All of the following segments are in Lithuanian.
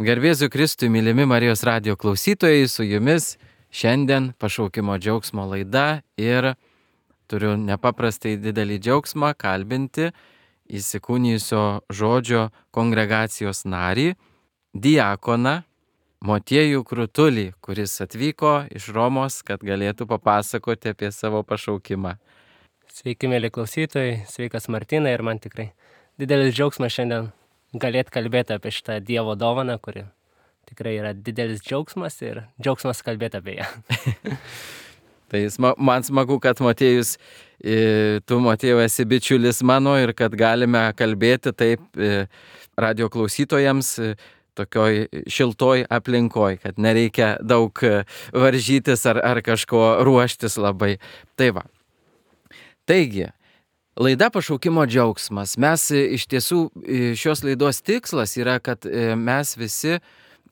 Garbėsiu Kristui, mylimi Marijos radijo klausytojai, su jumis šiandien pašaukimo džiaugsmo laida ir turiu nepaprastai didelį džiaugsmą kalbinti įsikūnijusio žodžio kongregacijos narį, diakoną Motiejų Krutulį, kuris atvyko iš Romos, kad galėtų papasakoti apie savo pašaukimą. Sveiki, mėly klausytojai, sveikas Martynai, ir man tikrai didelis džiaugsmas šiandien galėti kalbėti apie šitą Dievo dovaną, kuri tikrai yra didelis džiaugsmas ir džiaugsmas kalbėti apie ją. Tai man smagu, kad Motiejus, tu Motiejau esi bičiulis mano ir kad galime kalbėti taip radio klausytojams tokioj šiltoj aplinkoj, kad nereikia daug varžytis ar kažko ruoštis labai. Tai va. Taigi, laida pašaukimo džiaugsmas. Mes iš tiesų šios laidos tikslas yra, kad mes visi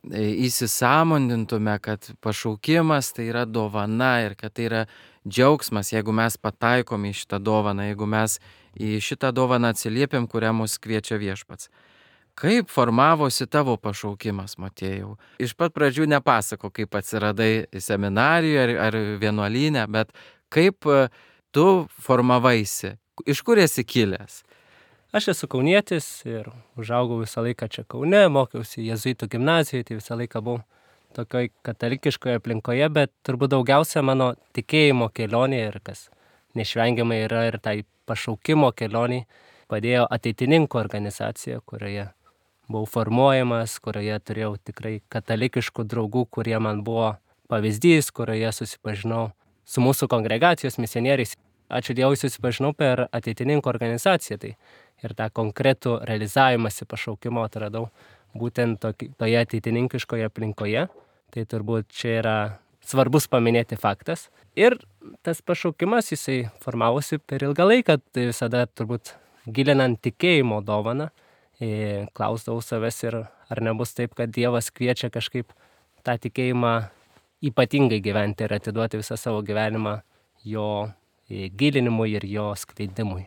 įsisąmonintume, kad pašaukimas tai yra dovana ir kad tai yra džiaugsmas, jeigu mes pataikom į šitą dovaną, jeigu mes į šitą dovaną atsiliepiam, kurią mus kviečia Viešpats. Kaip formavosi tavo pašaukimas, Motiejau? Iš pat pradžių nepasako, kaip atsiradai seminarijoje ar vienuolyne, bet kaip tu formavaisi? Iš kur esi kilęs? Aš esu kaunietis ir užaugau visą laiką čia Kaune, mokiausi jėzuitų gimnazijoje, tai visą laiką buvau tokioj katalikiškoje aplinkoje, bet turbūt daugiausia mano tikėjimo kelionė ir kas neišvengiamai yra ir tai pašaukimo kelionė padėjo Ateitininkų organizacija, kurioje buvau formuojamas, kurioje turėjau tikrai katalikiškų draugų, kurie man buvo pavyzdys, kurioje susipažinau su mūsų kongregacijos misionieriais. Ačiū Dievui, susipažinau per Ateitininkų organizaciją, tai ir tą konkretų realizavimąsi pašaukimo atradau būtent toje ateitininkiškoje aplinkoje. Tai turbūt čia yra svarbus paminėti faktas. Ir tas pašaukimas, jisai formavosi per ilgą laiką, tai visada turbūt gilinant tikėjimo dovaną, klausdavau savęs ir ar nebus taip, kad Dievas kviečia kažkaip tą tikėjimą ypatingai gyventi ir atiduoti visą savo gyvenimą jo gilinimui ir jo skleidimui.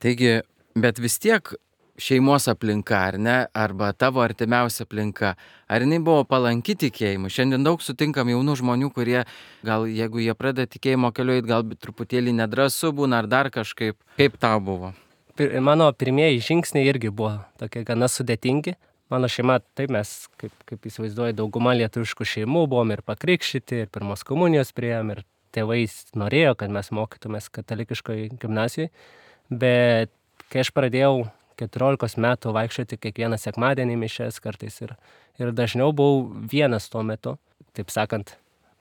Taigi, bet vis tiek šeimos aplinka, ar ne, arba tavo artimiausia aplinka, ar jinai buvo palanki tikėjimui? Šiandien daug sutinkam jaunų žmonių, kurie gal jeigu jie pradeda tikėjimo keliu eit, gal truputėlį nedrąsu būna ar dar kažkaip. Kaip tau buvo? Mano pirmieji žingsniai irgi buvo tokie gana sudėtingi. Mano šeima, taip mes, kaip įsivaizduoju, dauguma lietuviškų šeimų buvom ir pakrikštyti, ir pirmos komunijos priėjom, ir tėvai norėjo, kad mes mokytumės katalikiškoje gimnazijoje, bet kai aš pradėjau 14 metų vaikščioti kiekvieną sekmadienį mišias kartais ir dažniau buvau vienas tuo metu, taip sakant,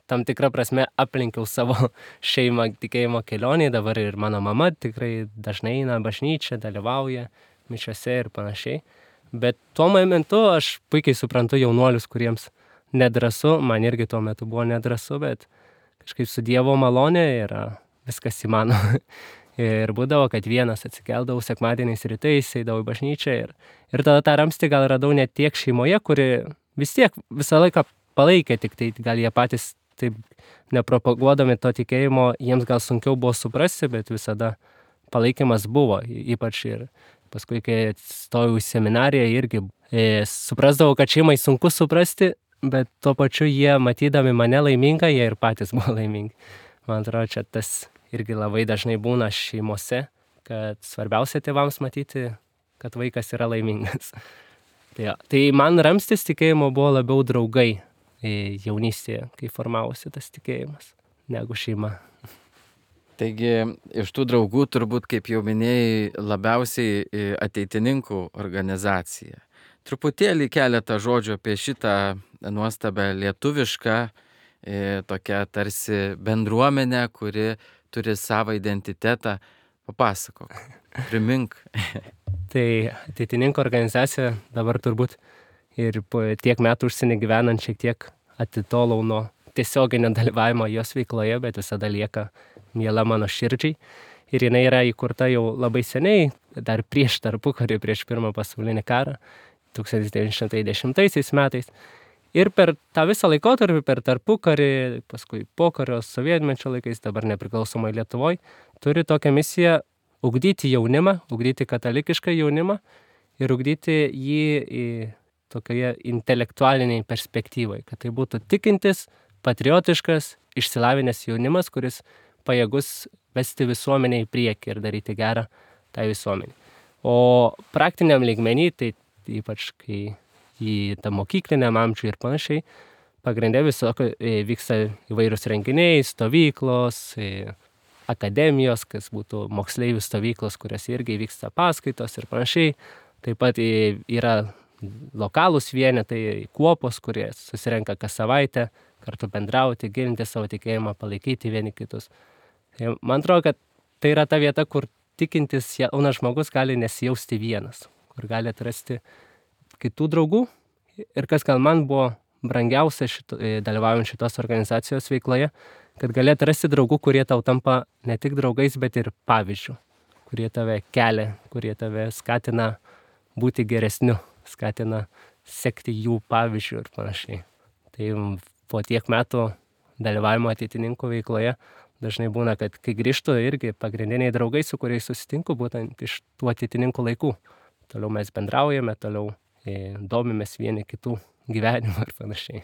tam tikrą prasme aplinkiau savo šeimą tikėjimo kelionėje, dabar ir mano mama tikrai dažnai eina bažnyčią, dalyvauja mišiose ir panašiai, bet tuo momentu aš puikiai suprantu jaunuolius, kuriems nedrąsu, man irgi tuo metu buvo nedrąsu, bet kažkaip su Dievo malonė yra viskas įmanoma. Ir būdavo, kad vienas atsikeldavau sekmadieniais rytais, eidavau į bažnyčią ir tada tą ramstį gal radau ne tiek šeimoje, kuri vis tiek visą laiką palaikė, tik tai gal jie patys taip nepropaguodami to tikėjimo, jiems gal sunkiau buvo suprasti, bet visada palaikymas buvo, ypač ir paskui, kai stojau į seminariją, irgi suprasdavau, kad šeimai sunku suprasti, bet tuo pačiu jie, matydami mane laimingą, jie ir patys buvo laimingi. Man atrodo, čia tas irgi labai dažnai būna šeimose, kad svarbiausia tėvams matyti, kad vaikas yra laimingas. Tai man ramstis tikėjimo buvo labiau draugai jaunystėje, kai formavosi tas tikėjimas, negu šeima. Taigi, iš tų draugų turbūt, kaip jau minėjai, labiausiai Ateitininkų organizacija. Truputėlį keletą žodžių apie šitą nuostabę lietuvišką, tokią tarsi bendruomenę, kuri turi savo identitetą. Papasakok, primink. Tai Ateitininkų organizacija dabar turbūt ir po tiek metų užsienį gyvenant šiek tiek atitolau nuo tiesioginio dalyvavimo jos veikloje, bet visada lieka miela mano širdžiai. Ir jinai yra įkurta jau labai seniai, dar prieš tarpukarį, prieš Pirmą pasaulinį karą, 1910 metais. Ir per tą visą laikotarpį, per tarpukarį, paskui pokario sovietmečio laikais, dabar nepriklausomai Lietuvoje, turi tokią misiją ugdyti jaunimą, ugdyti katalikišką jaunimą ir ugdyti jį tokioje intelektualiniai perspektyvai, kad tai būtų tikintis, patriotiškas, išsilavinęs jaunimas, kuris pajėgus vesti visuomenę į priekį ir daryti gerą tai visuomenį. O praktiniam lygmenį, tai ypač kai į tą mokykliniam amžių ir panašiai, pagrindė vyksta įvairūs renginiai, stovyklos, akademijos, kas būtų moksleivių stovyklos, kurios irgi vyksta paskaitos ir panašiai. Taip pat yra lokalūs vienetai, kuopos, kurie susirenka kas savaitę, kartu bendrauti, gilinti savo tikėjimą, palaikyti vieni kitus. Tai man atrodo, kad tai yra ta vieta, kur tikintis jaunas žmogus gali nesijausti vienas, kur gali atrasti kitų draugų. Ir kas gal man buvo brangiausia dalyvaujant šitos organizacijos veikloje, kad gali atrasti draugų, kurie tau tampa ne tik draugais, bet ir pavyzdžių, kurie tave kelia, kurie tave skatina būti geresniu, skatina sekti jų pavyzdžių ir panašiai. Tai po tiek metų dalyvavimo ateitininkų veikloje dažnai būna, kad kai grįžtu irgi pagrindiniai draugai, su kuriais susitinku, būtent iš tų ateitininkų laikų. Toliau mes bendraujame, toliau domimės vieni kitų gyvenimą ir panašiai.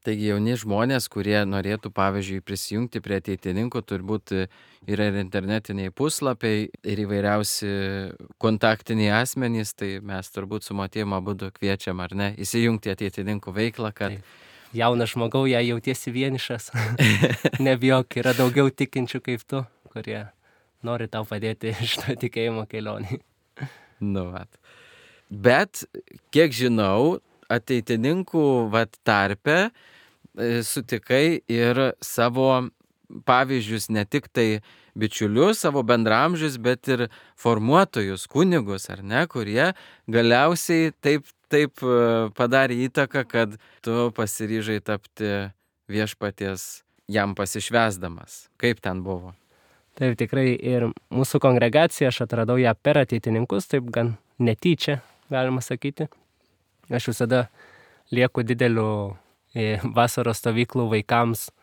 Taigi jauni žmonės, kurie norėtų, pavyzdžiui, prisijungti prie ateitininkų, turbūt yra ir internetiniai puslapiai, ir įvairiausi kontaktiniai asmenys, tai mes turbūt su Motiejum abudu kviečiam, ar ne, įsijungti ateitininkų veiklą, kad... Jaunas žmogau, jei jautiesi vienišas, nebijok, yra daugiau tikinčių kaip tu, kurie nori tau padėti šito tikėjimo kelionį. Nu, vat. Bet, kiek žinau, ateitininkų tarpe sutikai ir savo pavyzdžius, ne tik tai bičiulius, savo bendramžius, bet ir formuotojus, kunigus, ar ne, kurie galiausiai taip padarė įtaką, kad tu pasiryžai tapti viešpaties jam pasišvęsdamas. Kaip ten buvo? Taip, tikrai ir mūsų kongregacija, aš atradau ją per ateitininkus, taip gan netyčia, galima sakyti. Aš visada lieku dideliu vasaros stovyklų vaikams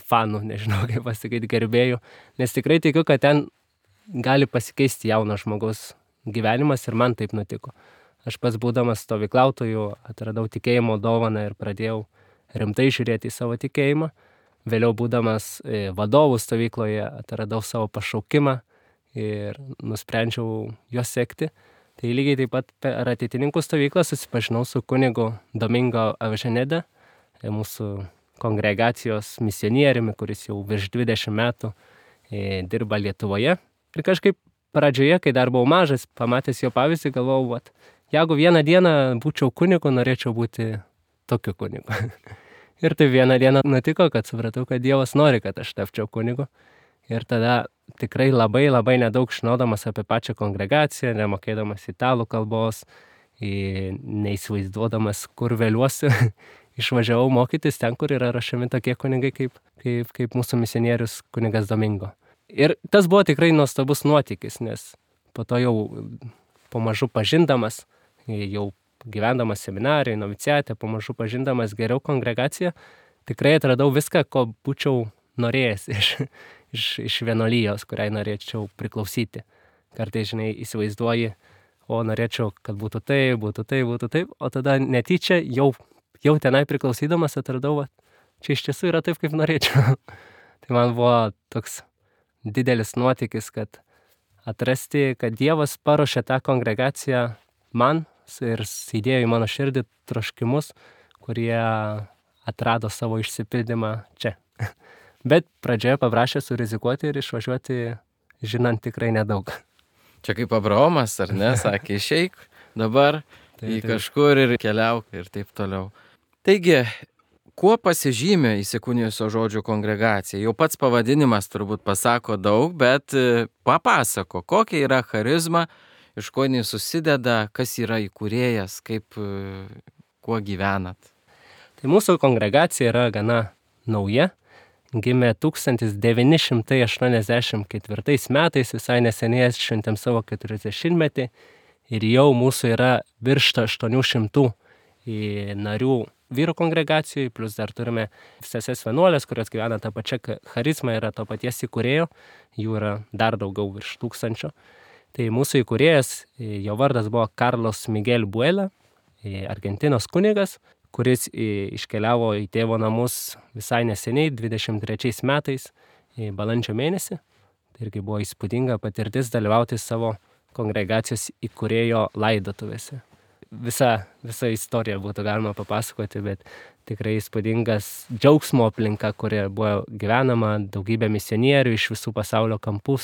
fanų, nežinau kaip pasakyti, gerbėjų, nes tikrai tikiu, kad ten gali pasikeisti jauno žmogaus gyvenimas ir man taip nutiko. Aš pats būdamas stovyklautojų atradau tikėjimo dovaną ir pradėjau rimtai žiūrėti į savo tikėjimą. Vėliau būdamas vadovų stovykloje atradau savo pašaukimą ir nusprendžiau juos sekti. Tai lygiai taip pat per ateitininkų stovyklą susipažinau su kunigu Domingo Aviženede, mūsų kongregacijos misionieriumi, kuris jau virš 20 metų dirba Lietuvoje. Ir kažkaip pradžioje, kai dar buvau mažas, pamatęs jo pavyzdį, galvojau, jeigu vieną dieną būčiau kunigu, norėčiau būti tokiu kunigu. Ir tai vieną dieną nutiko, kad supratau, kad Dievas nori, kad aš tapčiau kunigu. Ir tada tikrai labai nedaug žinodamas apie pačią kongregaciją, nemokėdamas italų kalbos, neįsivaizduodamas, kur vėliuosiu, išvažiavau mokytis ten, kur yra rašami tokie kunigai kaip mūsų misionierius kunigas Domingo. Ir tas buvo tikrai nuostabus nuotykis, nes po to jau pamažu pažindamas, jau gyvendamas seminarijai, noviciate, pamažu pažindamas geriau kongregaciją, tikrai atradau viską, ko būčiau norėjęs iš vienuolijos, kuriai norėčiau priklausyti. Kartais, įsivaizduoji, norėčiau, kad būtų taip, o tada netyčia jau tenai priklausydamas atradau, čia iš tiesų yra taip, kaip norėčiau. Tai man buvo toks didelis nuotykis, kad atrasti, kad Dievas paruošė tą kongregaciją man ir įdėjo į mano širdį troškimus, kurie atrado savo išsipildymą čia. Bet pradžioje paprašė surizikuoti ir išvažiuoti, žinant tikrai nedaug. Čia kaip Abraomas, ar ne, sakė, išeik dabar į kažkur ir keliauk ir taip toliau. Taigi, kuo pasižymė Įsikūnijusio žodžio kongregacija? Jau pats pavadinimas turbūt pasako daug, bet papasako, kokia yra charizma, iš ko jinai susideda, kas yra įkūrėjas, kuo gyvenat. Tai mūsų kongregacija yra gana nauja, gimė 1984 metais, visai neseniai šventėm savo 40-metį ir jau mūsų yra virš 800 narių vyrų kongregacijai, plus dar turime seses vienuolės, kurios gyvena tą pačią charizmą, yra to paties įkūrėjo, jų yra dar daugiau virš 1000. Tai mūsų įkūrėjas, jo vardas buvo Carlos Miguel Buela, Argentinos kunigas, kuris iškeliavo į tėvo namus visai neseniai, 23 metais, balandžio mėnesį. Tai irgi buvo įspūdinga patirtis dalyvauti savo kongregacijos įkūrėjo laidotuvėse. Visa istorija būtų galima papasakoti, bet tikrai įspūdingas džiaugsmo aplinka, kurie buvo gyvenama, daugybė misionierių iš visų pasaulio kampų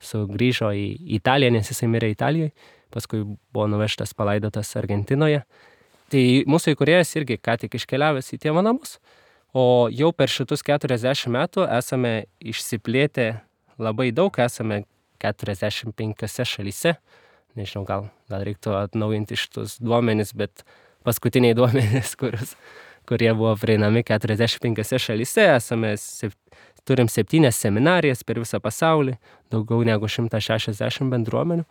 sugrįžo į Italiją, nes jisai mirė Italijoje, paskui buvo nuvežtas palaidotas Argentinoje. Tai mūsų įkūrėjas irgi ką tik iškeliavęs į tėvo namus, o jau per šitus 40 metų esame išsiplėtę labai daug, esame 45 šalyse. Nežinau, gal reiktų atnaujinti šitus duomenis, bet paskutiniai duomenys, kurie buvo prieinami 45 šalyse, turim 7 seminarijas per visą pasaulį, daugiau negu 160 bendruomenių.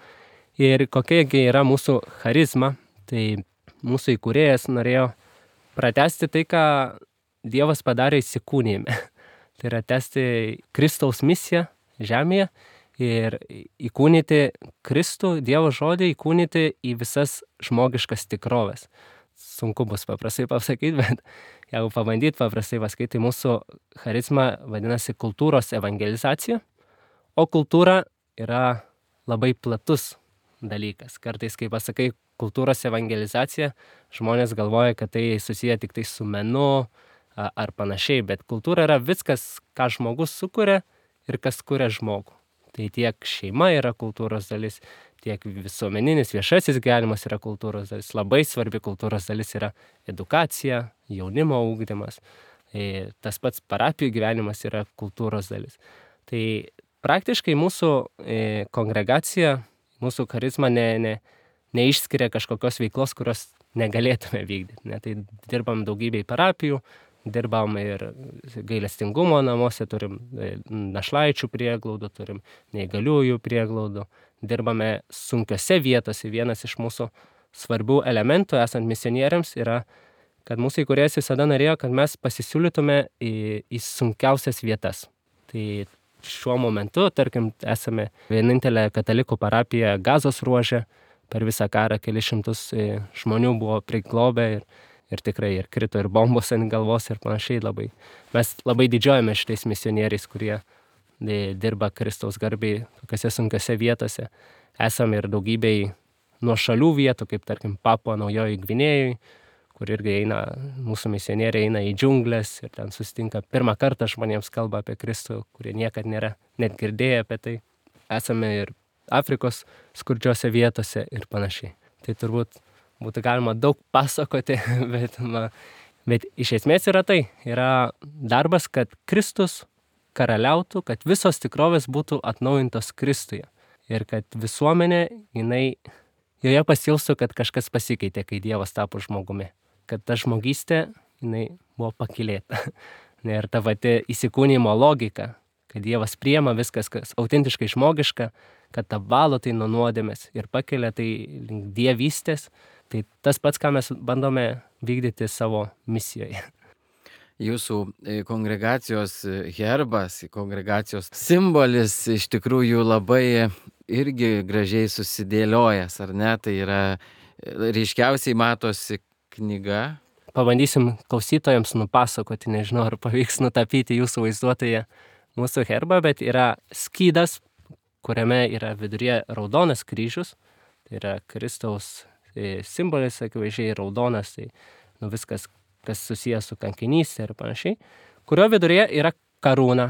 Ir kokiagi yra mūsų charizma, tai mūsų įkūrėjas norėjo pratęsti tai, ką Dievas padarė įsikūnijime. Tai yra tęsti Kristaus misiją žemėje ir įkūnyti Kristų, Dievo žodį, įkūnyti į visas žmogiškas tikroves. Sunku bus paprastai pasakyti, bet jeigu pabandyti paprastai pasakyti, tai mūsų charizma vadinasi kultūros evangelizacija, o kultūra yra labai platus dalykas. Kartais, kai pasakai kultūros evangelizacija, žmonės galvoja, kad tai susiję tik tai su menu ar panašiai, bet kultūra yra viskas, ką žmogus sukuria ir kas kuria žmogų. Tai tiek šeima yra kultūros dalis, tiek visuomeninis viešasis gyvenimas yra kultūros dalis. Labai svarbi kultūros dalis yra edukacija, jaunimo ugdymas. Tas pats parapijų gyvenimas yra kultūros dalis. Tai praktiškai mūsų kongregacija, mūsų charizma neišskiria kažkokios veiklos, kurios negalėtume vykdyti. Tai dirbam daugybėj parapijų, dirbam ir gailestingumo namuose, turim našlaičių prieglaudų, turim neįgaliųjų prieglaudų, dirbame sunkiose vietose. Vienas iš mūsų svarbių elementų esant misionieriams yra, kad mūsų įkūrėjas visada norėjo, kad mes pasisiūlytume į sunkiausias vietas. Tai šiuo momentu, tarkim, esame vienintelė katalikų parapija Gazos ruože, per visą karą keli šimtus žmonių buvo priglobę ir tikrai ir krito ir bombos ant galvos ir panašiai labai. Mes labai didžiuojame šitais misionieriais, kurie dirba Kristaus garbei tokiose sunkiose vietose. Esame ir daugybėj nuošalių vietų, kaip tarkim Papua Naujoji Gvinėjoj, kur irgi mūsų misionieriai eina į džiunglės ir ten susitinka pirmą kartą žmonėms kalba apie Kristų, kurie niekad nėra net girdėję apie tai. Esame ir Afrikos skurdžiose vietose ir panašiai. Tai turbūt būtų galima daug pasakoti, bet iš esmės yra tai. Yra darbas, kad Kristus karaliautų, kad visos tikrovės būtų atnaujintos Kristuje. Ir kad visuomenė, joje pasijaustų, kad kažkas pasikeitė, kai Dievas tapo žmogumi. Kad ta žmogystė, buvo pakylėta. Ir ta pati įsikūnijimo logika, kad Dievas priema viskas, kas autentiškai žmogiška, kad apvalo tai nuo nuodėmės ir pakelia tai link dievystės. Tai tas pats, ką mes bandome vykdyti savo misijoje. Jūsų kongregacijos herbas, kongregacijos simbolis iš tikrųjų labai irgi gražiai susidėliojęs, ar ne? Tai yra ryškiausiai matosi knyga. Pabandysim klausytojams nupasakoti, nežinau, ar pavyks nutapyti jūsų vaizduotoje mūsų herbą, bet yra skydas, kuriame yra viduryje raudonas kryžius, tai yra Kristaus simbolis, akivaizdžiai raudonas, tai viskas, kas susijęs su kankinystė ir panašiai, kurio viduryje yra karūna,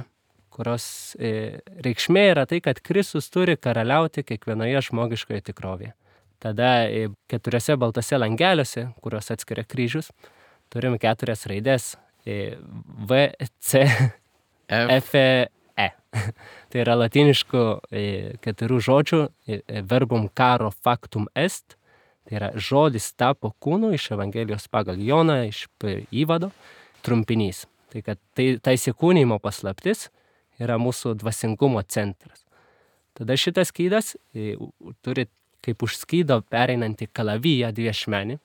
kurios reikšmė yra tai, kad Kristus turi karaliauti kiekvienoje žmogiškoje tikrovėje. Tada 4 baltose langeliuose, kurios atskiria kryžius, turim 4 raidės V, C, F, E. Tai yra latiniškų 4 žodžių verbum caro factum est. Tai yra žodis tapo kūnu iš Evangelijos pagal Joną, iš įvado, trumpinys. Tai kad ta įsikūnijimo paslaptis yra mūsų dvasingumo centras. Tada šitas skydas turi kaip už skydo pereinantį kalaviją dviešmenį.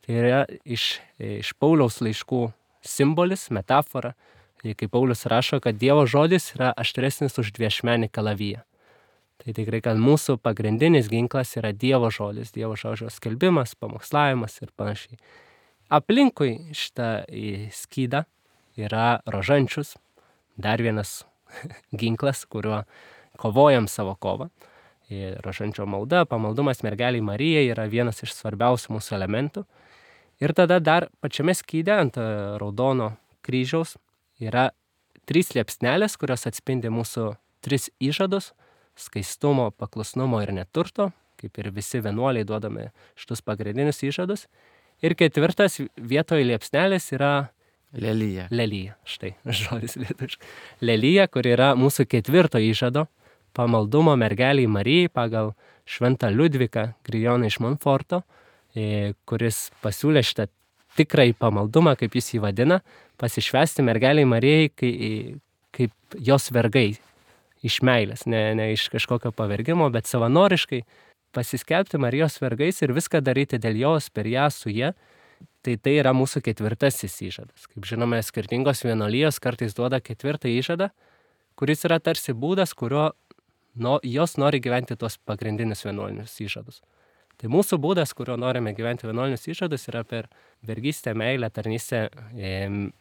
Tai yra iš Pauliaus laiškų simbolis, metafora. Kai Paulius rašo, kad Dievo žodis yra aštresnis už dviešmenį kalaviją. Tai tikrai, kad mūsų pagrindinis ginklas yra Dievo žodis, Dievo žodžio skelbimas, pamokslavimas ir panašiai. Aplinkui šitą skydą yra rožančius, dar vienas ginklas, kuriuo kovojam savo kovą. Rožančio malda, pamaldumas mergeliai Marijai yra vienas iš svarbiausių mūsų elementų. Ir tada dar pačiame skyde ant raudono kryžiaus yra 3 liepsnelės, kurios atspindi mūsų 3 įžadus - skaistumo, paklusnumo ir neturto, kaip ir visi vienuoliai duodame šitus pagrindinius įžadus. Ir 4 vietoj liepsnelės yra Lelija. lelija, štai žodis lietuviškai. Lelija, kur yra mūsų 4 įžado pamaldumo mergeliai Marijai pagal šventą Liudviką Grijoną iš Monforto, kuris pasiūlė šitą tikrąjį pamaldumą, kaip jis jį vadina, pasišvęsti mergeliai Marijai kaip jos vergai iš meilės, ne iš kažkokio pavergimo, bet savanoriškai pasiskelbti Marijos vergais ir viską daryti dėl jos, per ją, su ja. Tai yra mūsų 4 įžadas. Kaip žinome, skirtingos vienuolijos kartais duoda 4 įžadą, kuris yra tarsi būdas, kurio jos nori gyventi tuos pagrindinius vienuolinius įžadus. Tai mūsų būdas, kurio norime gyventi vienuolinius įžadus, yra per vergystę, meilę, tarnystę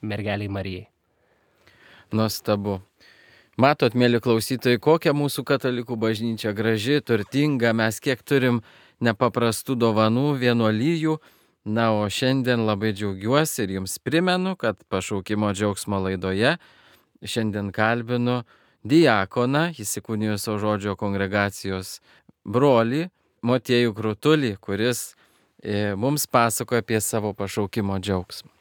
mergeliai Marijai. Nuostabu. Matot, mėly klausytojai, kokia mūsų katalikų bažnyčia graži, turtinga, mes kiek turim nepaprastų dovanų, vienuolijų. Na, o šiandien labai džiaugiuosi ir jums primenu, kad pašaukimo džiaugsmo laidoje šiandien kalbinu diakoną, įsikūnijusio žodžio kongregacijos brolį, Motiejų Krutulį, kuris mums pasakoja apie savo pašaukimo džiaugsmą.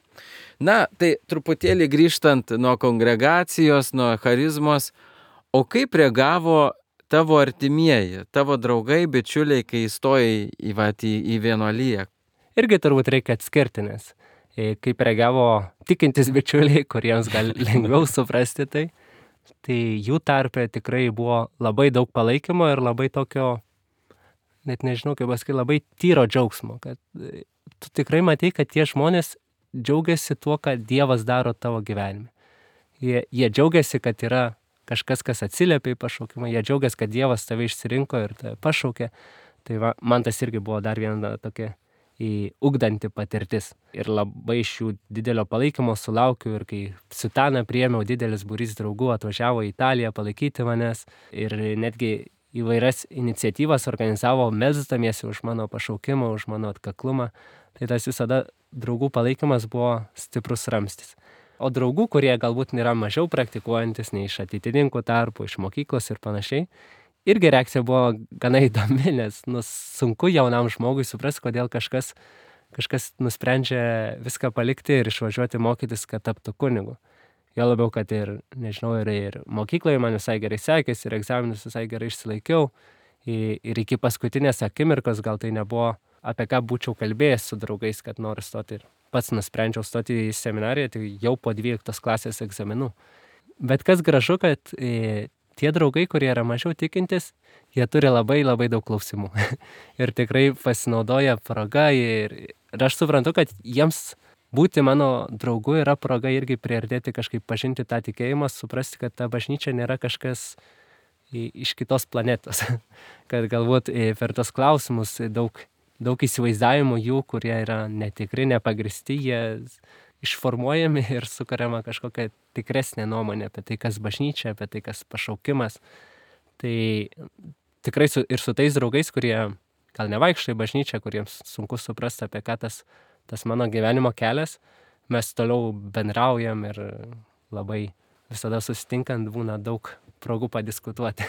Na, tai truputėlį grįžtant nuo kongregacijos, nuo charizmos, o kaip reagavo tavo artimieji, tavo draugai, bičiuliai, kai įstojai į vienuoliją? Irgi turbūt reikia atskirti, nes kaip reagavo tikintis bičiuliai, kuriems gal lengviau suprasti tai jų tarpe tikrai buvo labai daug palaikymo ir labai tokio, net nežinau, kaip pasakyti, labai tyro džiaugsmo, kad tu tikrai matai, kad tie žmonės džiaugiasi tuo, ką Dievas daro tavo gyvenime. Jie džiaugiasi, kad yra kažkas, kas atsiliepia į pašaukimą, jie džiaugiasi, kad Dievas tave išsirinko ir tave pašaukė. Tai va, man tas irgi buvo dar viena tokia ugdanti patirtis. Ir labai iš jų didelio palaikymo sulaukiu ir kai Sutaną priėmiau, didelis būrys draugų atvažiavo į Italiją palaikyti manęs ir netgi įvairias iniciatyvas organizavo, melsdamiesi už mano pašaukimą, už mano atkaklumą. Tai tas visada draugų palaikymas buvo stiprus ramstis. O draugų, kurie galbūt yra mažiau praktikuojantis, nei iš ateitininkų tarpų, iš mokyklos ir panašiai, irgi reakcija buvo gana įdomi, nes sunku jaunam žmogui suprasti, kodėl kažkas nusprendžia viską palikti ir išvažiuoti mokytis, kad taptų kunigu. Jo labiau, kad ir, nežinau, ir mokykloje man visai gerai sekėsi, ir egzaminus visai gerai išsilaikiau. Ir iki paskutinės akimirkos gal tai nebuvo, apie ką būčiau kalbėjęs su draugais, kad noriu stoti. Ir pats nusprendžiau stoti į seminariją, tai jau po 12 klasės egzaminų. Bet kas gražu, kad tie draugai, kurie yra mažiau tikintis, jie turi labai labai daug klausimų. Ir tikrai pasinaudoja proga. Ir aš suprantu, kad jiems būti mano draugu yra proga irgi priartėti kažkaip, pažinti tą tikėjimą, suprasti, kad ta bažnyčia nėra kažkas iš kitos planetos. Kad galbūt per tos klausimus daug įsivaizdavimų jų, kurie yra netikri, nepagristi, jie išformuojami ir sukuriama kažkokia tikresnė nuomonė apie tai, kas bažnyčia, apie tai, kas pašaukimas. Tai tikrai ir su tais draugais, kurie gal nevaikšto į bažnyčią, kuriems sunku suprasti, apie ką tas mano gyvenimo kelias, mes toliau bendraujam ir labai visada susitinkant būna daug progų padiskutuoti.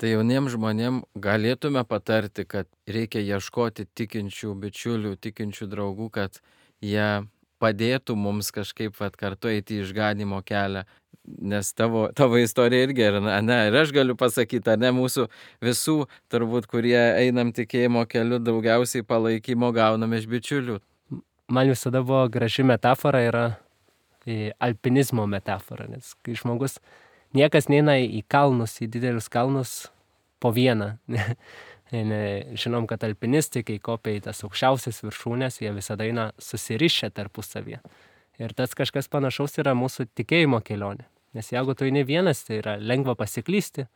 Tai jauniems žmonėms galėtume patarti, kad reikia ieškoti tikinčių bičiulių, tikinčių draugų, kad jie padėtų mums kažkaip kartu eiti į išganimo kelią. Nes tavo istorija irgi, ir aš galiu pasakyti, mūsų visų, turbūt, kurie einam tikėjimo keliu, daugiausiai palaikymo gauname iš bičiulių. Man visada buvo graži metafora, yra alpinizmo metafora, nes kai žmogus, niekas neina į kalnus, į didelius kalnus po vieną. Žinom, kad alpinistai, kai kopia į tas aukščiausias viršūnės, jie visada eina susirišę tarpusavyje. Ir tas kažkas panašaus yra mūsų tikėjimo kelionė. Nes jeigu tu eini vienas, tai yra lengva pasiklysti,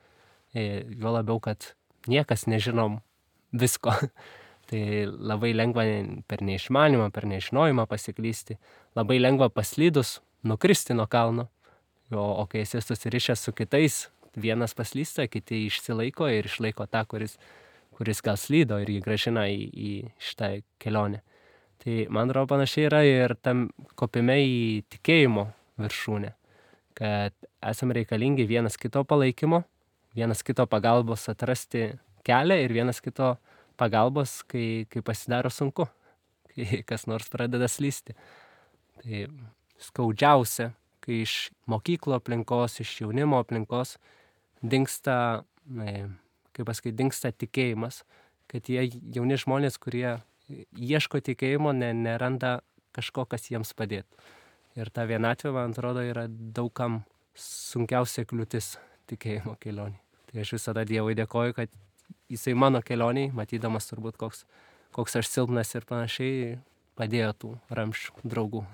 juo labiau, kad niekas nežinom visko. Tai labai lengva per neišmanymą, per nežinojimą pasiklysti, labai lengva paslydus nukristi nuo kalno, o kai esi susirišęs su kitais, vienas paslysta, kiti išsilaiko ir išlaiko tą, kuris gal slydo ir jį gražina į šitą kelionę. Tai man atrodo panašiai yra ir tam kopime į tikėjimo viršūnę, kad esame reikalingi vienas kito palaikymo, vienas kito pagalbos atrasti kelią ir vienas kito pagalbos, kai pasidaro sunku, kai kas nors pradeda slysti. Tai skaudžiausia, kai iš mokyklo aplinkos, iš jaunimo aplinkos dingsta tikėjimas, kad jie jauni žmonės, kurie ieško tikėjimo, neranda kažko, kas jiems padėtų. Ir ta vienatvė, man atrodo, yra daugam sunkiausia kliūtis tikėjimo kelionį. Tai aš visada Dievui dėkoju, kad jisai mano kelioniai, matydamas turbūt koks aš silpnas ir panašiai, padėjo tų ramščių draugų.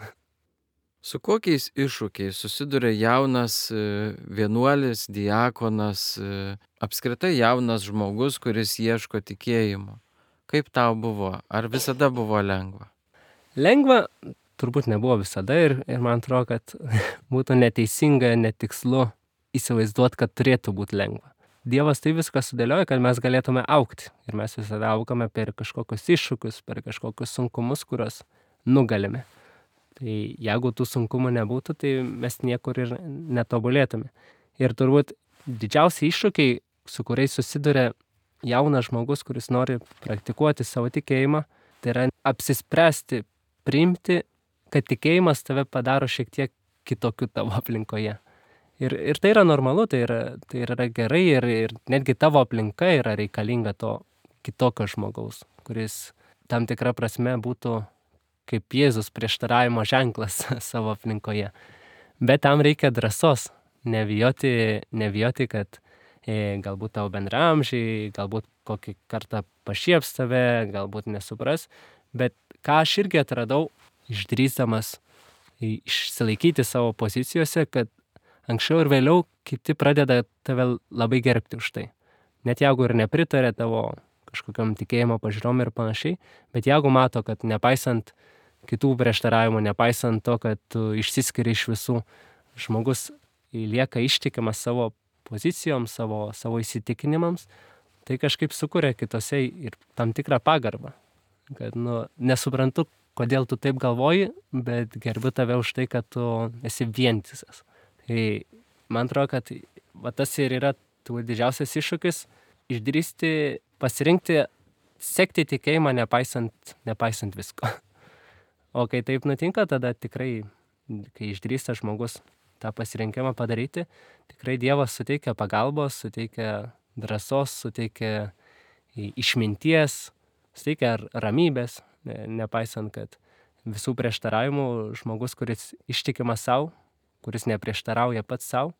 Su kokiais iššūkiais susiduria jaunas vienuolis, diakonas, apskritai jaunas žmogus, kuris ieško tikėjimo? Kaip tau buvo? Ar visada buvo lengva? Lengva turbūt nebuvo visada ir man atrodo, kad būtų neteisinga, netikslu įsivaizduoti, kad turėtų būti lengva. Dievas tai viską sudėlioja, kad mes galėtume augti. Ir mes visada augame per kažkokius iššūkius, per kažkokius sunkumus, kuriuos nugalime. Tai jeigu tų sunkumų nebūtų, tai mes niekur ir netobulėtume. Ir turbūt didžiausi iššūkiai, su kuriais susiduria jaunas žmogus, kuris nori praktikuoti savo tikėjimą, tai yra apsispręsti, priimti, kad tikėjimas tave padaro šiek tiek kitokiu tavo aplinkoje. Ir tai yra normalu, tai yra gerai ir netgi tavo aplinka yra reikalinga to kitokio žmogaus, kuris tam tikra prasme būtų kaip Jėzus prieštaravimo ženklas savo aplinkoje. Bet tam reikia drąsos, nebijoti, kad galbūt tavo bendraamžiai, galbūt kokį kartą pašieps tave, galbūt nesupras, bet ką aš irgi atradau, išdrįsdamas išsilaikyti savo pozicijose, kad anksčiau ir vėliau kiti pradeda tave labai gerbti už tai. Net jeigu ir nepritarė tavo kažkokiam tikėjimo pažiūrom ir panašiai, bet jeigu mato, kad nepaisant kitų prieštaravimų, nepaisant to, kad tu išsiskiri iš visų, žmogus lieka ištikimas savo pozicijom, savo įsitikinimams, tai kažkaip sukuria kitose ir tam tikrą pagarbą. Kad nesuprantu, kodėl tu taip galvoji, bet gerbiu tave už tai, kad tu esi vientisas. Tai man atrodo, kad tas ir yra didžiausias iššūkis - išdrįsti, pasirinkti, sekti tikėjimą nepaisant visko. O kai taip nutinka, tada tikrai, kai išdrįsta žmogus tą pasirinkimą padaryti, tikrai Dievas suteikia pagalbos, suteikia drąsos, suteikia išminties, suteikia ramybės, nepaisant, kad visų prieštaravimų žmogus, kuris ištikimas savo, kuris neprieštarauja pats savo,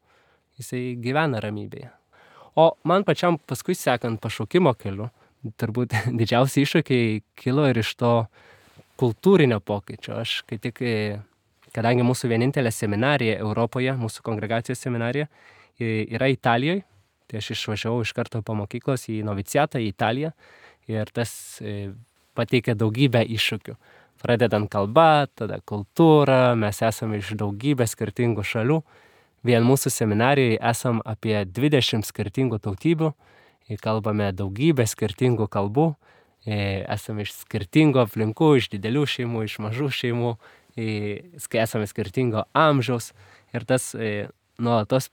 jisai gyvena ramybėje. O man pačiam paskui sekant pašaukimo keliu, turbūt didžiausi iššūkiai kilo ir iš to kultūrinio pokyčio. Aš kai tik, kadangi mūsų vienintelė seminarija Europoje, mūsų kongregacijos seminarija, yra Italijoje, tai aš išvažiavau iš karto po mokyklos į noviciatą į Italiją ir tas pateikė daugybę iššūkių. Pradedant kalba, tada kultūra, mes esame iš daugybės skirtingų šalių. Vien mūsų seminarijoje esam apie 20 skirtingų tautybių, kalbame daugybę skirtingų kalbų, esame iš skirtingų aplinkų, iš didelių šeimų, iš mažų šeimų, esame skirtingo amžiaus ir tas nuolatos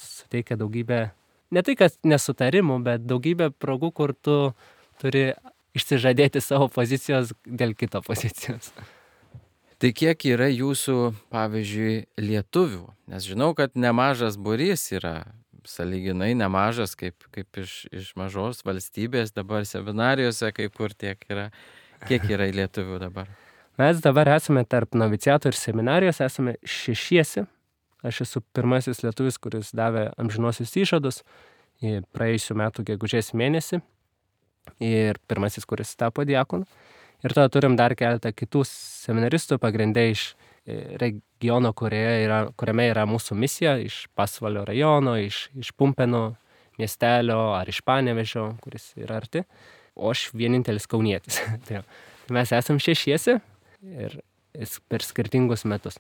suteikia daugybę, ne tai kad nesutarimų, bet daugybę progų, kur tu turi išsižadėti savo pozicijos dėl kito pozicijos. Tai kiek yra jūsų, pavyzdžiui, lietuvių? Nes žinau, kad nemažas būrys yra, sąlyginai nemažas, kaip iš mažos valstybės dabar seminarijose, kai kur tiek yra. Kiek yra lietuvių dabar? Mes dabar esame tarp noviciato ir seminarijos, esame 6. Aš esu pirmasis lietuvis, kuris davė amžinuosius įžadus praėjusių metų gegužės mėnesį ir pirmasis, kuris tapo diakonu. Ir tada turim dar keletą kitų seminaristų, pagrindai iš regiono, kuriame yra mūsų misija, iš Pasvalio rajono, iš Pumpėnų miestelio ar iš Panevėžio, kuris yra arti, o aš vienintelis kaunietis. Tai mes esam šešiesi ir per skirtingus metus.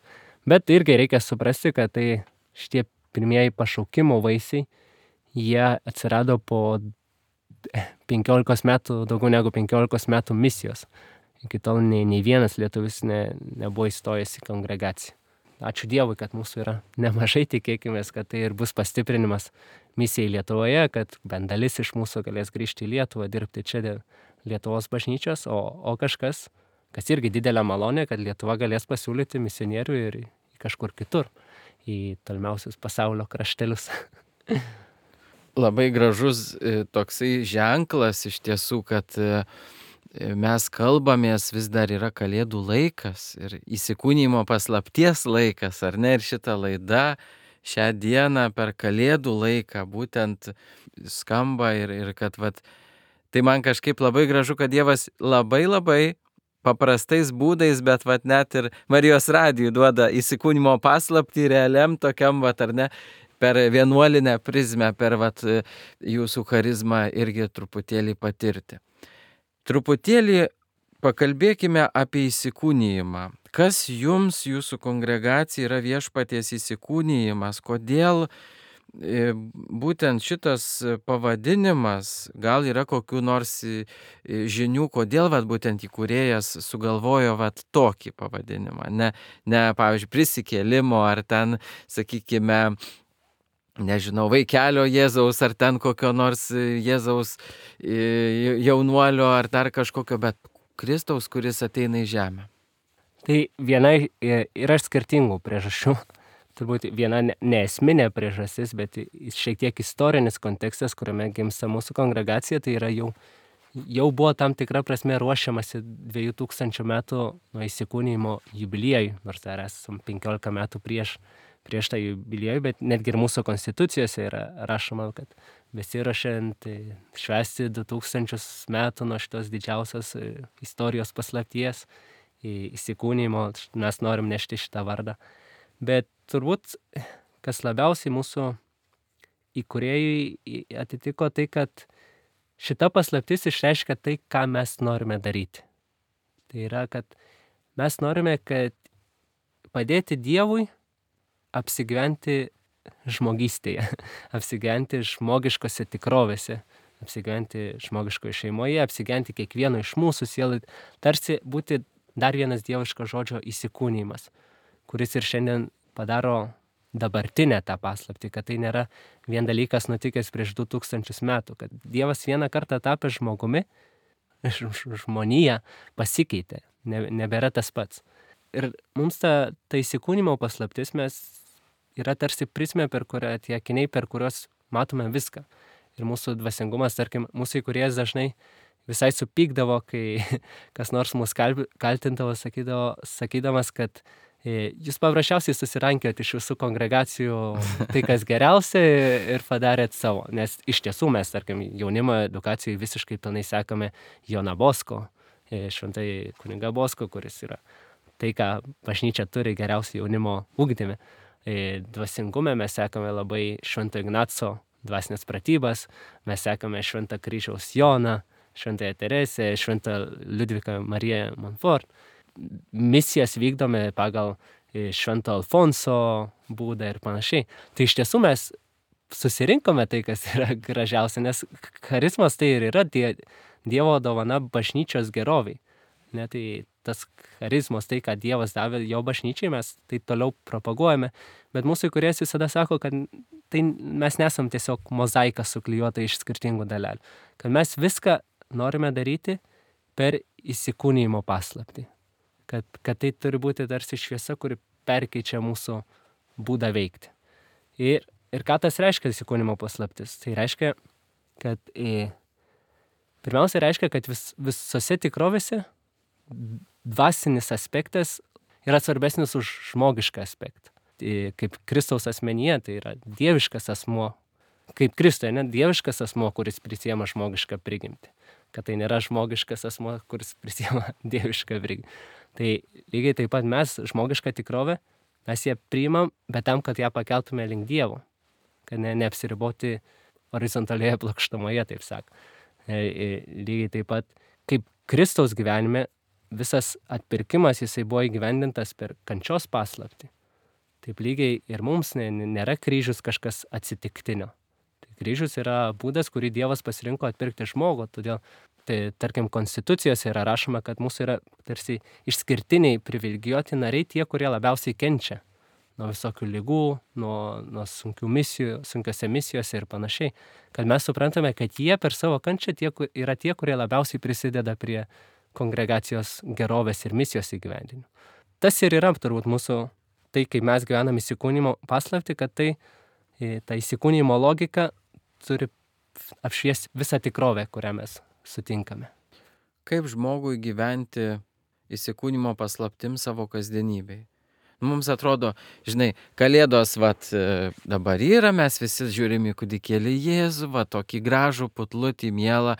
Bet irgi reikia suprasti, kad tai šitie pirmieji pašaukimo vaisiai, jie atsirado po 15 metų, daugiau negu 15 metų misijos. Iki tol nei vienas lietuvis nebuvo įstojęs į kongregaciją. Ačiū Dievui, kad mūsų yra nemažai, tikėkimės, kad tai ir bus pastiprinimas misijai Lietuvoje, kad bent dalis iš mūsų galės grįžti į Lietuvą, dirbti čia dėl Lietuvos bažnyčios, o kažkas, kas irgi didelė malonė, kad Lietuva galės pasiūlyti misionierių ir kažkur kitur, į tolimiausius pasaulio kraštelius. Labai gražus toksai ženklas iš tiesų, kad mes kalbamės, vis dar yra Kalėdų laikas ir įsikūnijimo paslapties laikas, ar ne? Ir šita laida šią dieną per Kalėdų laiką būtent skamba ir kad tai man kažkaip labai gražu, kad Dievas labai paprastais būdais, bet net ir Marijos radijui duoda įsikūnimo paslaptį realiam tokiam, ar ne, per vienuolinę prizmę, per jūsų charizmą irgi truputėlį patirti. Truputėlį pakalbėkime apie įsikūnijimą. Kas jums, jūsų kongregacija, yra Viešpaties įsikūnijimas? Kodėl būtent šitas pavadinimas, gal yra kokių nors žinių, kodėl būtent įkūrėjas sugalvojo tokį pavadinimą? Ne pavyzdžiui, prisikėlimo ar ten, sakykime, nežinau, vaikelio Jėzaus, ar ten kokio nors Jėzaus jaunuolio, ar dar kažkokio, bet Kristaus, kuris ateina į žemę. Tai viena yra skirtingų priežasčių. Turbūt viena neesminė priežastis, bet šiek tiek istorinis kontekstas, kuriame gimsta mūsų kongregacija, tai yra jau buvo tam tikra prasme ruošiamasi 2000 metų nuo įsikūnijimo jubiliejui, nors dar esam 15 metų prieš tą jubiliejų, bet netgi ir mūsų konstitucijose yra rašoma, kad besiruošiant švęsti 2000 metų nuo šitos didžiausios istorijos paslapties įsikūnijimo, mes norim nešti šitą vardą. Bet turbūt, kas labiausiai mūsų įkūrėjui atitiko tai, kad šita paslaptis išreiškia tai, ką mes norime daryti. Tai yra, kad mes norime padėti Dievui apsigyventi žmogystėje, apsigyventi žmogiškose tikrovėse, apsigyventi žmogiškoje šeimoje, apsigyventi kiekvieno iš mūsų sielai, tarsi būti dar vienas dieviško žodžio įsikūnijimas, kuris ir šiandien padaro dabartinę tą paslaptį, kad tai nėra vien dalykas nutikęs prieš 2000 metų, kad Dievas vieną kartą tapęs žmogumi, žmonija pasikeitė, nebėra tas pats. Ir mums ta įsikūnimo paslaptis yra tarsi prizmė, per kurią tie akiniai, per kuriuos matome viską. Ir mūsų dvasingumas, tarkim, mūsų įkūrėjas dažnai visai supykdavo, kai kas nors mus kaltindavo, sakydamas, kad jūs paprasčiausiai susirankėt iš visų kongregacijų tai, kas geriausia ir padarėt savo. Nes iš tiesų mes, tarkim, jaunimo edukacijai visiškai pilnai sekame Joną Bosko, šventai kunigą Bosko, kuris yra tai, ką bažnyčia turi geriausiai jaunimo ugdyme. Dvasingume mes sekame labai Švento Ignaco dvasinės pratybas, mes sekame Šventą Kryžiaus Joną, Šventąją Teresę, Šventą Liudviką Mariją Montfort. Misijas vykdome pagal Švento Alfonso būdą ir panašiai. Tai iš tiesų mes susirinkome tai, kas yra gražiausia, nes charizmas tai ir yra Dievo dovana bažnyčios geroviai. Tai tas charizmas, tai, ką Dievas davė jo bažnyčiai, mes tai toliau propaguojame, bet mūsų įkūrėjas visada sako, kad tai mes nesam tiesiog mozaika suklijuota iš skirtingų dalelių, kad mes viską norime daryti per įsikūnijimo paslaptį, kad tai turi būti tarsi šviesa, kuri perkeičia mūsų būdą veikti. Ir ką tas reiškia įsikūnijimo paslaptis? Tai reiškia, kad pirmiausia reiškia, kad visose tikrovėse dvasinis aspektas yra svarbesnis už žmogišką aspektą. Kaip Kristaus asmenyje, tai yra dieviškas asmuo, kaip Kristuje, dieviškas asmuo, kuris prisiema žmogišką prigimtį. Kad tai nėra žmogiškas asmuo, kuris prisiema dievišką prigimtį. Tai lygiai taip pat mes, žmogišką tikrovę, mes ją priimam, bet tam, kad ją pakeltume link Dievo. Kad neapsiriboti horizontalioje plokštumoje, taip sako. Lygiai taip pat, kaip Kristaus gyvenime, visas atpirkimas jisai buvo įgyvendintas per kančios paslaptį. Taip lygiai ir mums nėra kryžius kažkas atsitiktinio. Tai kryžius yra būdas, kurį Dievas pasirinko atpirkti žmogų. Todėl, tai, tarkim, konstitucijose yra rašoma, kad mūsų yra tarsi išskirtiniai privilegijuoti nariai tie, kurie labiausiai kenčia nuo visokių lygų, nuo sunkiose misijose ir panašiai. Kad mes suprantame, kad jie per savo kančią yra tie, kurie labiausiai prisideda prie kongregacijos gerovės ir misijos įgyvendinimo. Tas ir yra turbūt mūsų, tai kaip mes gyvenam įsikūnijimo paslaptį, kad ta įsikūnijimo logika turi apšviesti visą tikrovę, kurią mes sutinkame. Kaip žmogui gyventi įsikūnijimo paslaptim savo kasdienybėj? Mums atrodo, žinai, Kalėdos dabar yra, mes visi žiūrim į kūdikėlį Jėzų, tokį gražų, putlutį, mielą,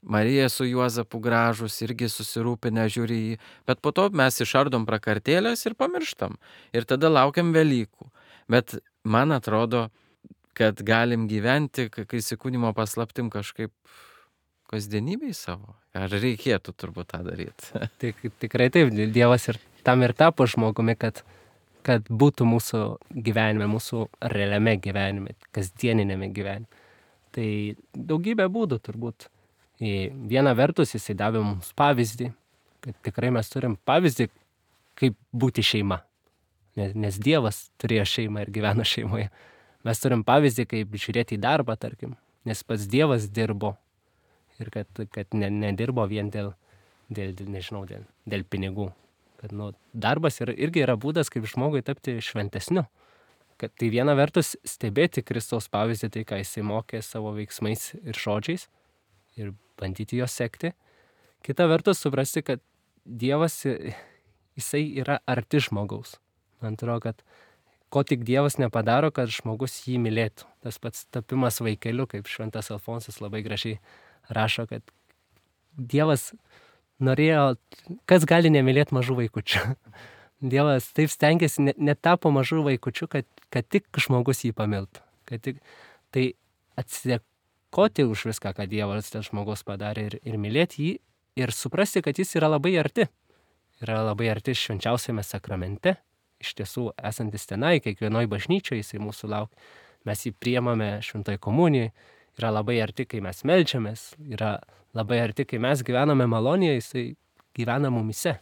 Marija su Juozapu gražus, irgi susirūpinę žiūri jį, bet po to mes išardom prakartėlės ir pamirštam. Ir tada laukiam Velykų. Bet man atrodo, kad galim gyventi įsikūnijimo paslaptim kažkaip kasdienybėj savo. Ar reikėtų turbūt tą daryti? Tikrai taip, Dievas ir tam ir tapo žmogumi, kad būtų mūsų gyvenime, mūsų realiame gyvenime, kasdieninėme gyvenime. Tai daugybė būdų turbūt. Viena vertus jisai davė mums pavyzdį, kad tikrai mes turim pavyzdį, kaip būti šeima. Nes Dievas turėjo šeimą ir gyveno šeimoje. Mes turim pavyzdį, kaip žiūrėti į darbą, tarkim, nes pats Dievas dirbo. Ir kad nedirbo vien dėl pinigų. Kad darbas irgi yra būdas, kaip žmogui tapti šventesniu. Kad tai viena vertus stebėti Kristaus pavyzdį, tai ką jisai mokė savo veiksmais ir žodžiais ir bandyti juos sekti. Kita vertus suprasti, kad Dievas, jisai yra arti žmogaus. Man atrodo, kad ko tik Dievas nepadaro, kad žmogus jį mylėtų. Tas pats tapimas vaikeliu, kaip šventas Alfonsas labai gražiai rašo, kad Dievas norėjo, kas gali nemylėti mažų vaikučių. Dievas taip stengiasi, netapo mažų vaikučių, kad tik žmogus jį pamiltų. Tai atsidėkoti už viską, ką Dievas dėl žmogaus padarė ir mylėti jį ir suprasti, kad jis yra labai arti. Yra labai arti švenčiausiame sakramente. Iš tiesų, esantis tenai, kiekvienoj bažnyčioje jisai mūsų laukia. Mes jį priemame šventoj komunijai. Yra labai arti, kai mes meldžiamės, yra labai arti, kai mes gyvename malonėje, jisai gyvena mumise.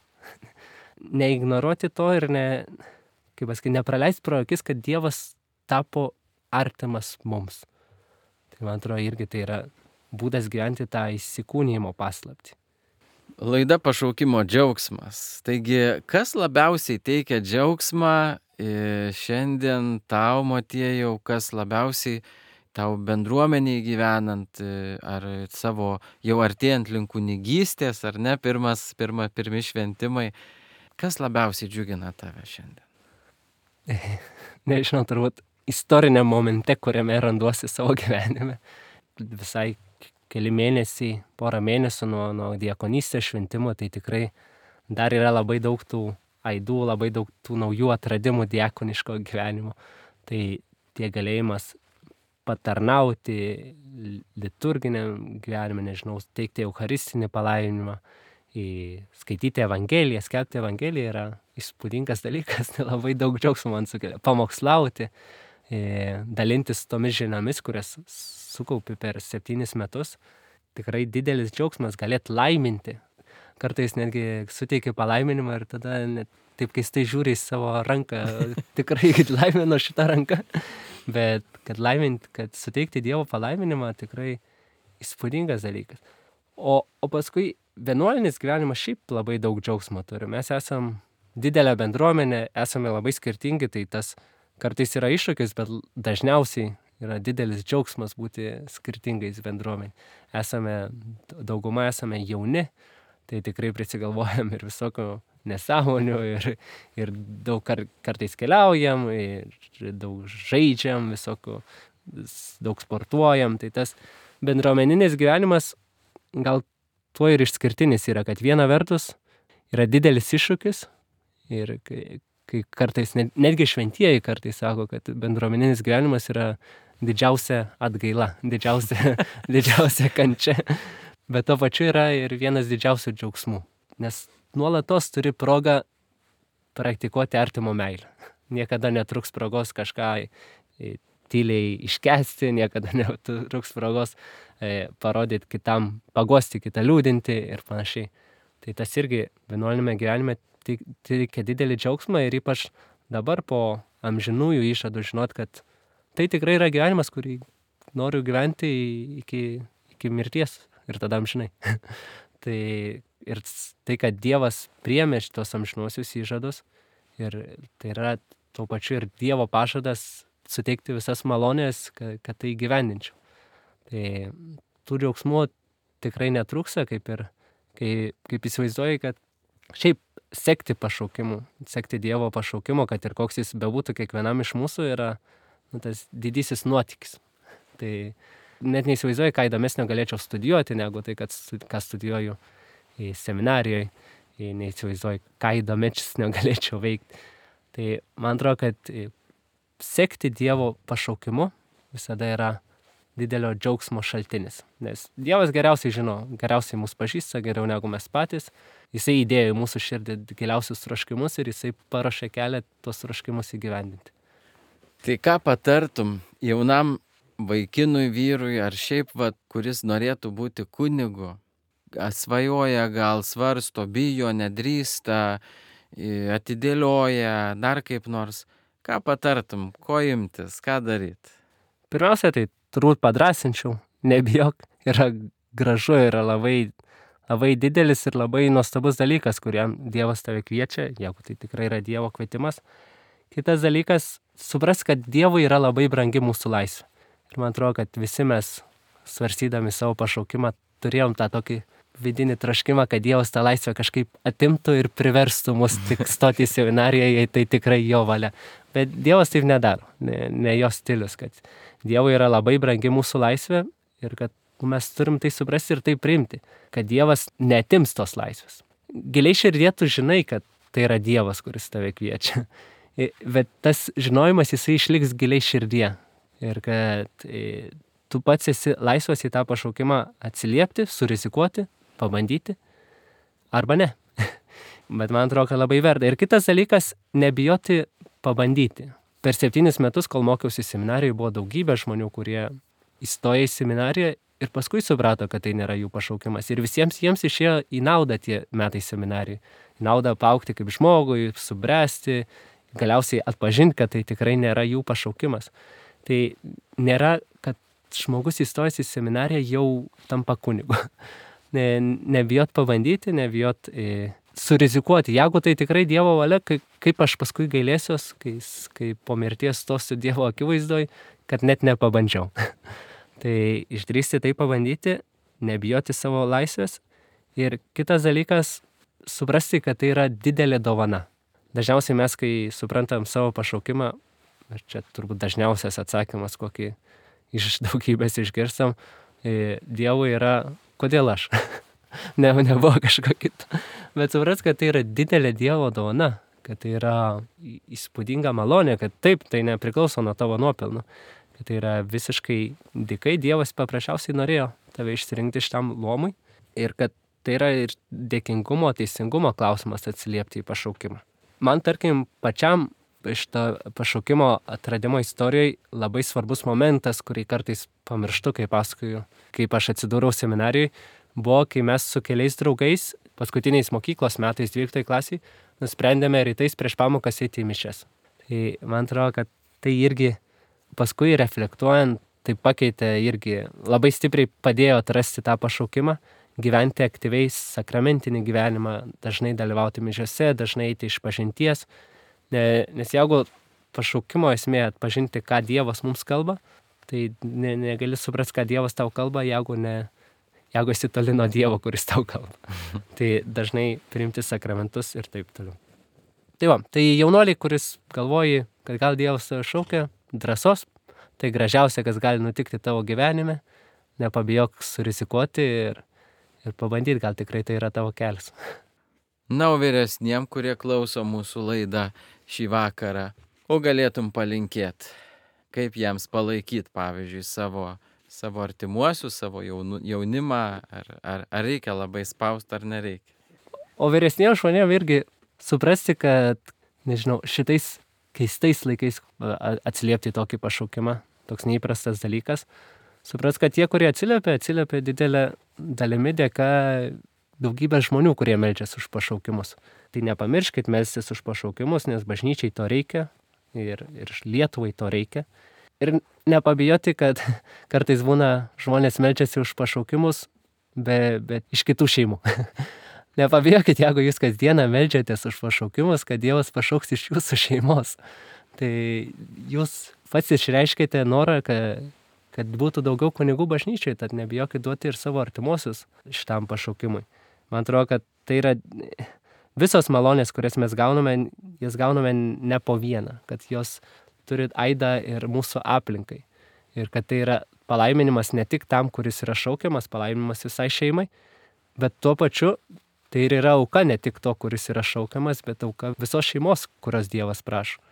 Neignoruoti to ir nepraleisti pro akis, kad Dievas tapo artimas mums. Tai man atrodo, irgi tai yra būdas gyventi tą įsikūnijimo paslaptį. Laida Pašaukimo džiaugsmas. Taigi, kas labiausiai teikia džiaugsmą šiandien tau, Motiejau, kas labiausiai tau bendruomeniai gyvenant, ar savo jau artėjant link kunigystės, ar ne, pirmi šventimai, kas labiausiai džiugina tave šiandien? Nežinau, turbūt istoriniam momente, kuriame randuosi savo gyvenime. Visai keli mėnesiai, porą mėnesių nuo diakonystės šventimo, tai tikrai dar yra labai daug tų aidų, labai daug tų naujų atradimų diakoniško gyvenimo. Tai tie galėjimas patarnauti liturginiam gyvenime, nežinau, teikti eucharistinį palaiminimą, skaityti Evangeliją, skelbti Evangeliją yra įspūdingas dalykas, labai daug džiaugsmo man sukelia. Pamokslauti, dalintis tomis žiniomis, kurias sukaupi per 7 metus, tikrai didelis džiaugsmas galėti laiminti. Kartais netgi suteiki palaiminimą ir tada net taip keistai žiūri į savo ranką, tikrai laimino šitą ranką. Bet kad suteikti Dievo palaiminimą tikrai įspūdingas dalykas. O paskui vienuolinis gyvenimas šiaip labai daug džiaugsmo turi. Mes esam didelė bendruomenė, esame labai skirtingi, tai tas kartais yra iššūkis, bet dažniausiai yra didelis džiaugsmas būti skirtingais bendruomenė. Dauguma esame jauni, tai tikrai prisigalvojam ir visokių nesąmonių ir daug kartais keliaujam, ir daug žaidžiam, daug sportuojam. Tai tas bendruomeninis gyvenimas gal tuo ir išskirtinis yra, kad viena vertus yra didelis iššūkis ir kai kartais, netgi šventieji kartais sako, kad bendruomeninis gyvenimas yra didžiausia atgaila, didžiausia kančia. Bet to pačiu yra ir vienas didžiausių džiaugsmų, nes nuolatos turi progą praktikuoti artimo meilę. Niekada netruks progos kažką tyliai iškęsti, niekada netruks progos parodyti kitam, paguosti kitą, liūdinti ir panašiai. Tai tas irgi vienuolinėme gyvenime teikia didelį džiaugsmą ir ypač dabar po amžinųjų išadų žinot, kad tai tikrai yra gyvenimas, kurį noriu gyventi iki mirties ir tada amžinai. Ir tai, kad Dievas priėmė šitos amžinuosius įžadus ir tai yra tuo pačiu ir Dievo pažadas suteikti visas malonės, kad tai gyvendinčiau. Tai tų džiaugsmų tikrai netrūksta, kaip įsivaizduoji, kad šiaip sekti pašaukimu, sekti Dievo pašaukimu, kad ir koks jis bebūtų kiekvienam iš mūsų, yra tas didysis nuotykis. Tai net neįsivaizduoju, ką įdomesnio galėčiau studijuoti, negu tai, ką studijuoju į seminarijoje, neįsivaizduoju, ką įdomesnio galėčiau veikti. Tai man atrodo, kad sekti Dievo pašaukimu visada yra didelio džiaugsmo šaltinis. Nes Dievas geriausiai žino, geriausiai mus pažįsta, geriau negu mes patys. Jisai įdėjo į mūsų širdį giliausius troškimus ir jisai paruošė kelią tuos troškimus įgyvendinti. Tai ką patartum jaunam vaikinui, vyrui ar šiaip, kuris norėtų būti kunigu, svajoja, gal svarsto, bijo, nedrįsta, atidėlioja, dar kaip nors. Ką patartum, ko imtis, ką daryti? Pirmiausia, tai turbūt padrasinčiau, nebijok, yra gražu, yra labai didelis ir labai nuostabus dalykas, kuriam Dievas tave kviečia, jeigu tai tikrai yra Dievo kvietimas. Kitas dalykas, supras, kad Dievui yra labai brangi mūsų laisvė. Ir man atrodo, kad visi mes, svarstydami savo pašaukimą, turėjom tą tokį vidinį troškimą, kad Dievas tą laisvę kažkaip atimtų ir priverstų mus tik stoti į seminariją, jei tai tikrai jo valia. Bet Dievas taip nedaro, ne jo stilius, kad Dievui yra labai brangi mūsų laisvė ir kad mes turim tai suprasti ir tai priimti, kad Dievas neatims tos laisvės. Giliai širdie tu žinai, kad tai yra Dievas, kuris tave kviečia. Bet tas žinojimas jisai išliks giliai širdie ir kad tu pats esi laisvas į tą pašaukimą atsiliepti, surizikuoti, pabandyti arba ne. Bet man atrodo, kad labai verta. Ir kitas dalykas, nebijoti pabandyti. Per 7 metus, kol mokiausi seminarijoje, buvo daugybė žmonių, kurie įstoja į seminariją ir paskui suprato, kad tai nėra jų pašaukimas. Ir visiems jiems išėjo į naudą tie metai seminarijai. Į naudą paaugti kaip žmogui, subręsti, galiausiai atpažinti, kad tai tikrai nėra jų pašaukimas. Tai nėra, kad žmogus įstojęs į seminariją jau tampa kunigu. Nebijot pabandyti, nebijot surizikuoti. Jeigu tai tikrai Dievo valia, kaip aš paskui gailėsiuos, kai po mirties stosiu Dievo akivaizdoj, kad net nepabandžiau. Tai išdrįsti tai pabandyti, nebijoti savo laisvės. Ir kitas dalykas, suprasti, kad tai yra didelė dovana. Dažniausiai mes, kai suprantam savo pašaukimą, ir čia turbūt dažniausias atsakymas, kokį iš daugybės išgirstam, Dievui yra, kodėl aš? Nebuvo kažko kito. Bet supras, kad tai yra didelė Dievo dovana, kad tai yra įspūdinga malonė, kad taip, tai nepriklauso nuo tavo nuopelnų, kad tai yra visiškai dykai, Dievas paprasčiausiai norėjo tave išsirinkti šitam luomui ir kad tai yra ir dėkingumo, teisingumo klausimas atsiliepti į pašaukimą. Man, tarkim, pačiam šito pašaukimo atradimo istorijoje labai svarbus momentas, kurį kartais pamirštu, kai pasakoju, kaip aš atsidūriau seminarijoje, buvo, kai mes su keliais draugais, paskutiniais mokyklos metais 12 klasiai, nusprendėme rytais prieš pamokas eiti į mišias. Tai man atrodo, kad tai irgi paskui reflektuojant, tai pakeitė irgi, labai stipriai padėjo atrasti tą pašaukimą, gyventi aktyviai sakramentinį gyvenimą, dažnai dalyvauti mišiose, dažnai eiti iš pažinties. Nes jeigu pašaukimo esmė atpažinti, ką Dievas mums kalba, tai negali suprasti, ką Dievas tau kalba, jeigu esi toli nuo Dievo, kuris tau kalba. Tai dažnai priimti sakramentus ir taip toliau. Tai jaunuoliai, kuris galvoji, kad gal Dievas tave šaukia, drąsos, tai gražiausia, kas gali nutikti tavo gyvenime, nepabijok surizikuoti ir pabandyti, gal tikrai tai yra tavo kelias. Na, o vyresniem, kurie klauso mūsų laidą šį vakarą, o galėtum palinkėti kaip jiems palaikyti, pavyzdžiui, savo artimuosius, savo jaunimą, ar reikia labai spausti, ar nereikia. O vyresniems žmonėms irgi suprasti, kad, nežinau, šitais keistais laikais atsiliepti tokį pašaukimą, toks neįprastas dalykas. Supras, kad tie, kurie atsiliepia didelę dalimi dėka daugybė žmonių, kurie meldžiasi už pašaukimus. Tai nepamirškit melstis už pašaukimus, nes bažnyčiai to reikia ir Lietuvai to reikia. Ir nepabijoti, kad kartais būna žmonės meldžiasi už pašaukimus, bet iš kitų šeimų. Nepabijokit, jeigu jūs kasdieną meldžiatės už pašaukimus, kad Dievas pašauks iš jūsų šeimos. Tai jūs pats išreiškite norą, kad būtų daugiau kunigų bažnyčiai, tad nebijokit duoti ir savo artimuosius šitam pašaukimui. Man atrodo, kad tai yra visos malonės, kurias mes gauname, jas gauname ne po vieną, kad jos turi aidą ir mūsų aplinkai. Ir kad tai yra palaiminimas ne tik tam, kuris yra šaukiamas, palaiminimas visai šeimai, bet tuo pačiu tai ir yra auka ne tik to, kuris yra šaukiamas, bet auka visos šeimos, kurios Dievas prašo.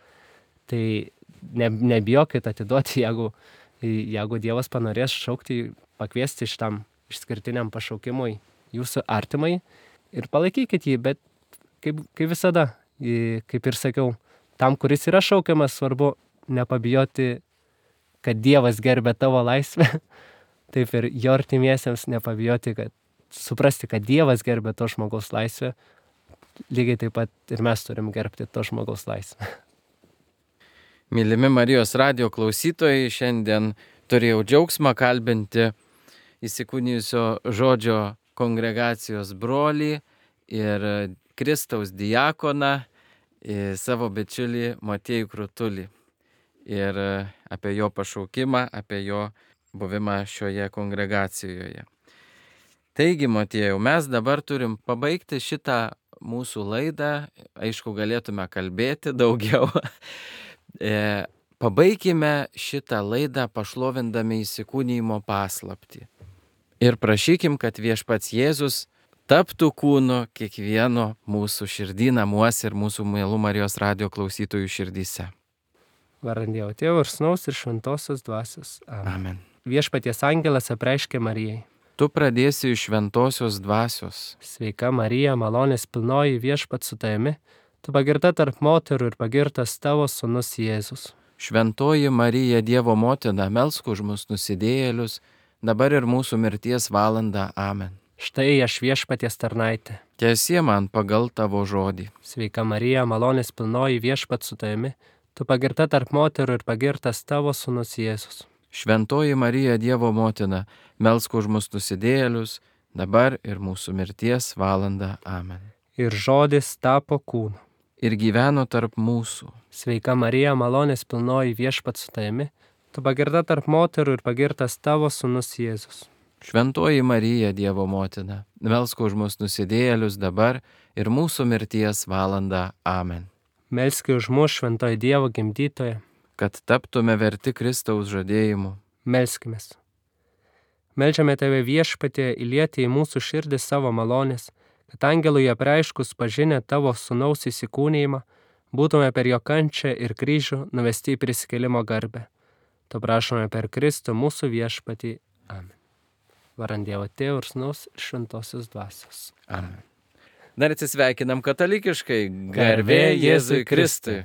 Tai nebijokit atiduoti, jeigu Dievas panorės šaukti, pakviesti šitam išskirtiniam pašaukimui jūsų artimai ir palaikykit jį, bet kaip visada, kaip ir sakiau, tam, kuris yra šaukiamas, svarbu nepabijoti, kad Dievas gerbia tavo laisvę, taip ir jo artimiesiems nepabijoti, kad suprasti, kad Dievas gerbia to žmogaus laisvę, lygiai taip pat ir mes turim gerbti to žmogaus laisvę. Mylimi Marijos radijo klausytojai, šiandien turėjau džiaugsmą kalbinti įsikūnijusio žodžio kongregacijos brolį ir Kristaus diakoną, savo bičiulį Motiejų Krutulį. Ir apie jo pašaukimą, apie jo buvimą šioje kongregacijoje. Taigi, Motiejau, mes dabar turim pabaigti šitą mūsų laidą. Aišku, galėtume kalbėti daugiau. Pabaikime šitą laidą pašlovindami įsikūnijimo paslaptį. Ir prašykim, kad Viešpats Jėzus taptų kūnu kiekvieno mūsų širdį namuose ir mūsų mielų Marijos radijo klausytojų širdyse. Vardan Dievo Tėvo ir Sūnaus ir Šventosios Dvasios. Amen. Viešpaties angelas apreiškė Marijai. Tu pradėsi iš Šventosios Dvasios. Sveika Marija, malonės pilnoji, Viešpats su tavimi, tu pagirta tarp moterų ir pagirtas tavo sūnus Jėzus. Šventoji Marija, Dievo motina, melsk už mus nusidėjėlius, dabar ir mūsų mirties valandą. Amen. Štai aš Viešpaties tarnaitė. Tiesie man pagal tavo žodį. Sveika Marija, malonės pilnoji, Viešpats su tavimi, tu pagirta tarp moterų ir pagirtas tavo sūnus Jėzus. Šventoji Marija, Dievo motina, melsk už mus nusidėjėlius, dabar ir mūsų mirties valandą. Amen. Ir žodis tapo kūnu. Ir gyveno tarp mūsų. Sveika Marija, malonės pilnoji, Viešpats su tavimi, tu pagirta tarp moterų ir pagirtas tavo sūnus Jėzus. Šventoji Marija, Dievo motina, melsk už mus nusidėjėlius dabar ir mūsų mirties valandą. Amen. Melski už mus, šventoji Dievo gimdytoja, kad taptume verti Kristaus žadėjimų. Melskimės. Meldžiame tave, Viešpatie, įlieti į mūsų širdį savo malonės, kad angelui apreiškus pažinę tavo sūnaus įsikūnijimą, būtume per jo kančią ir kryžių nuvesti į prisikėlimo garbę. To prašome per Kristų mūsų Viešpatį. Amen. Vardan Dievo Tėvo ir Sūnaus ir Šventosios Dvasios. Amen. Dar atsisveikinam katalikiškai. Garbė Jėzui Kristui.